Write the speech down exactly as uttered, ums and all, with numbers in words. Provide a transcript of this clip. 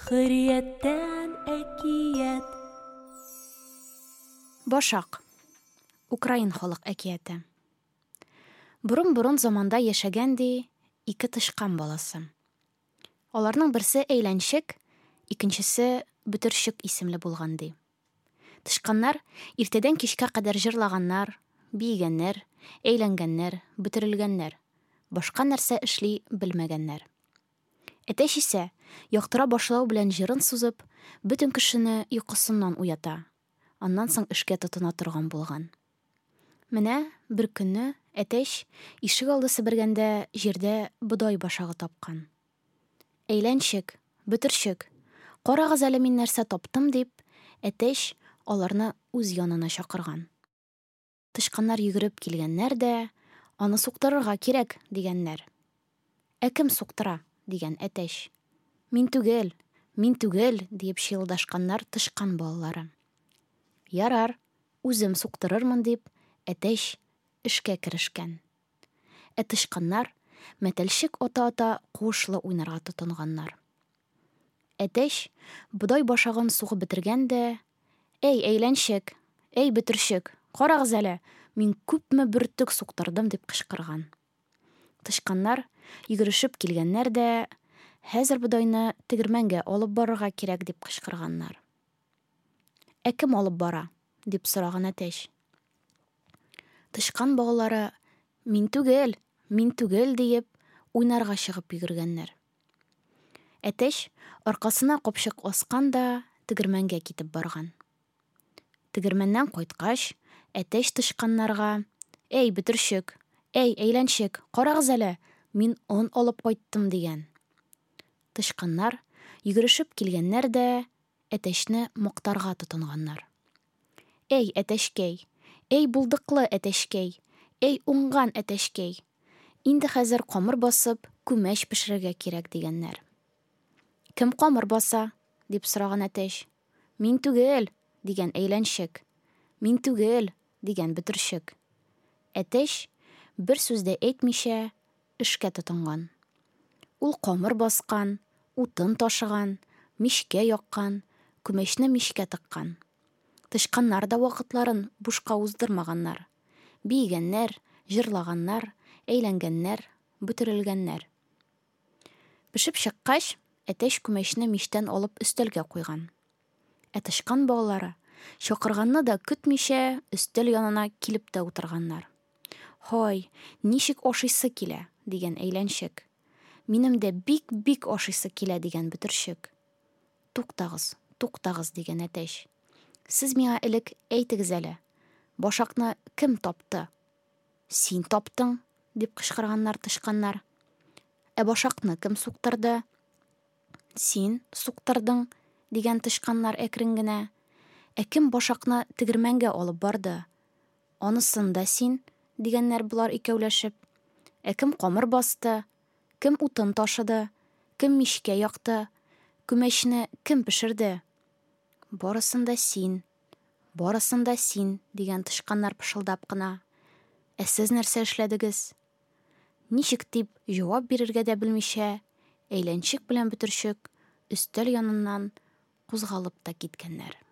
Хөррияттән әкият. Башак. Украин халык әкияте. Борын-борын заманда яшәгән ди ике тычкан баласы. Аларның берсе Әйләнчек, икенчесе Бөтерчек исемле булган ди. Тычканнар иртәдән кичкә кадәр җырлаганнар, биегәннәр, әйләнгәннәр, бөтерелгәннәр. Башка нәрсә эшли белмәгәннәр. Әтәч исә, яктыра башлау белән җырын сузып, бөтен кешене йокысыннан уята. Аннан соң эшкә тотына торган булган. Менә бер көнне әтәч ишек алды себергәндә җирдә бодай башагы тапкан. Әйләнчек, бөтерчек, карагыз әле мин нәрсә таптым дип, әтәч аларны үз янына чакырган. Тычканнар йөгереп килгәннәр дә, аны суктырырга кирәк, дигәннәр. Ә кем суктыра? Дигән әтәч. Мин түгел, мин түгел, диеп чыелдашканнар тычкан балалары. Ярар, үзем суктырырмын дип, әтәч эшкә керешкән. Ә тычканнар мәтәлчек ата-ата куышлы уйнарга тотынганнар. Әтәч бодай башагын сугып бетергән дә, әй, әйләнчек, әй, бөтерчек, карагыз әле, мин күпме бөртек суктырдым дип кычкырган. Тычканнар йөгерешеп килгәннәр дә, хәзер бодайны тегермәнгә алып барырга кирәк дип кычкырганнар. Ә кем алып бара? Дип сораган әтәч. Тычкан балалары, мин түгел, мин түгел диеп, уйнарга чыгып йөгергәннәр. Әтәч аркасына капчык аскан да тегермәнгә китеп барган. Тегермәннән кайткач, әтәч тычканнарга, әй, бөтерчек, әй, әйләнчек, карагыз әле, мин он алып кайттым дигән. Тычканнар йөгерешеп килгәннәр дә әтәчне мактарга тотынганнар. Әй, әтәчкәй, әй, булдыклы әтәчкәй, әй, уңган әтәчкәй. Инде хәзер камыр басып, күмәч пешерергә кирәк дигәннәр. Кем камыр баса? Дип сораган әтәч. Мин түгел, дигән әйләнчек. Мин түгел, дигән бөтерчек. Әтәч бер сүз дә әйтмичә эшкә тотынган. Ул камыр баскан, утын ташыган, мичкә яккан, күмәчне мичкә тыккан. Тычканнар да вакытларын бушка уздырмаганнар. Биегәннәр, җырлаганнар, әйләнгәннәр, бөтерелгәннәр. Пешеп чыккач, әтәч күмәчне мичтән алып өстәлгә куйган. Ә тычкан балалары чакырганны да көтмичә өстәл янына килеп тә утырганнар. Һай, ничек ашыйсы килә, дигән әйләнчек. Минем дә бик-бик ашыйсы килә, дигән бөтерчек. Туктагыз, туктагыз, дигән әтәч. Сез миңа элек әйтегез әле, башакны кем тапты? Син таптың, дип кычкырганнар тычканнар. Ә башакны кем суктырды? Син суктырдың, дигән тычканнар әкрен генә. Ә кем башакны тегермәнгә алып барды? Анысын да син, дигәннәр болар икәүләшеп. Ә кем камыр басты? Кем утын ташыды? Кем мичкә якты? Күмәчне кем пешерде? Барысын да син, барысын да син, дигән тычканнар пышылдап кына. Ә сез нәрсә эшләдегез? Ничек дип җавап бирергә дә белмичә, әйләнчек белән бөтерчек өстәл яныннан кузгалып та киткәннәр.